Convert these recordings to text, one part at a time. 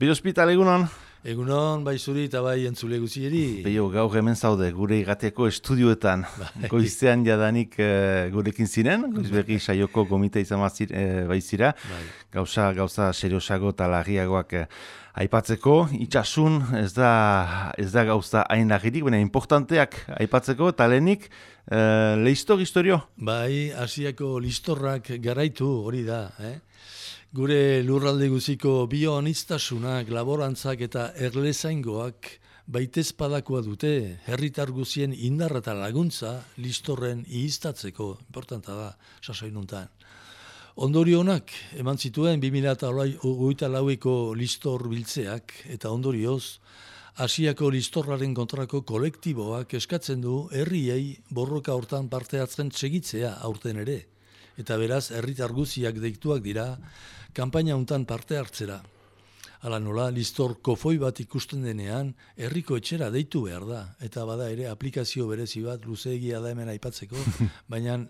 Peio Hospital, egunon? Egunon, bai zuri eta bai entzule guzieri. Peio, gaur hemen zaude, gure irratiako estudioetan. Goizean jadanik gurekin ziren, goizberri saioko gomita izan baizira. Gauza seriosago eta larriagoak aipatzeko. Itxasun ez da gauza hain larririk, baina importanteak aipatzeko eta lehenik historio. Bai, Asiako listorrak garaitu hori da, Gure lurralde guziko bioaniztasunak, laborantzak eta erlezaingoak baitezpadakoa dute, herritar guzien indarra eta laguntza listorren ihiztatzeko, importanta da, sasoinuntan. Ondorionak eman zituen 2024ko listor biltzeak eta ondorioz, Asiako listorraren kontrako kolektiboak eskatzen du herriei borroka hortan parte hartzen segitzea aurten ere. Eta beraz, herritar guziak deituak dira, kanpaina hontan parte hartzera. Hala nola, listor kofoi bat ikusten denean, herriko etxera deitu behar da. Eta bada ere, aplikazio berezi bat, luzeegia da hemen aipatzeko, baina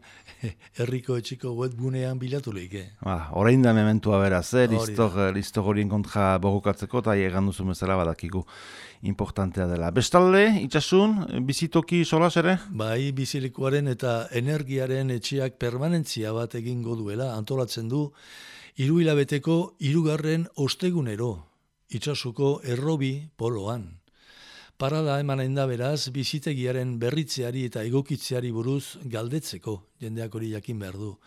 herriko etxeko webgunean bilatu lehike. Orain da mementua beraz, listor horien kontra borrokatzeko, eta egan duzu bezala badakigu importantea dela. Bestalde, itxasun, bizitoki solas ere? Bai, bizilekuaren eta energiaren etxeak permanentzia bat egingo duela, antolatzen du, 3 hilabeteko 3. ostegunero, itxasuko errobi poloan. Parada emanen da beraz, bizitegiaren berritzeari eta egokitzeari buruz galdetzeko, jendeak hori jakin behar du.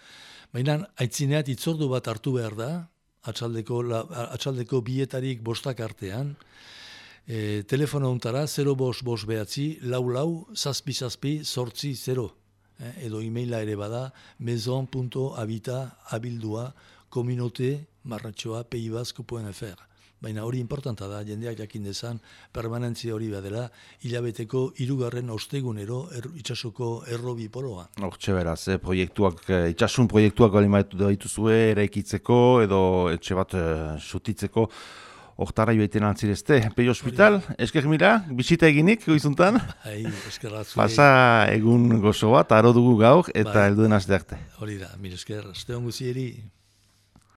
Baina, aitzineat itzordu bat hartu behar da, atxaldeko bietarik 5 artean, telefono untara 055 behatzi, 44 edo emaila ere bada, maison.habita@communauté-peibasco.fr. Baina hori importanta da, jendeak jakin dezan, permanentzia hori badela, hilabeteko 3. ostegunero itxasuko errobi poloa. Hortxe beraz, itxasun proiektuak dituzue eraikitzeko edo etxe bat sutitzeko, hortara joaiten altzirezte. Peio Hospital, esker mila, bisita eginik, goizuntan. Pasa egun gozo bat, aro dugu gaur, eta helduen aste arte. Hori da, mil esker, aste on guzieri.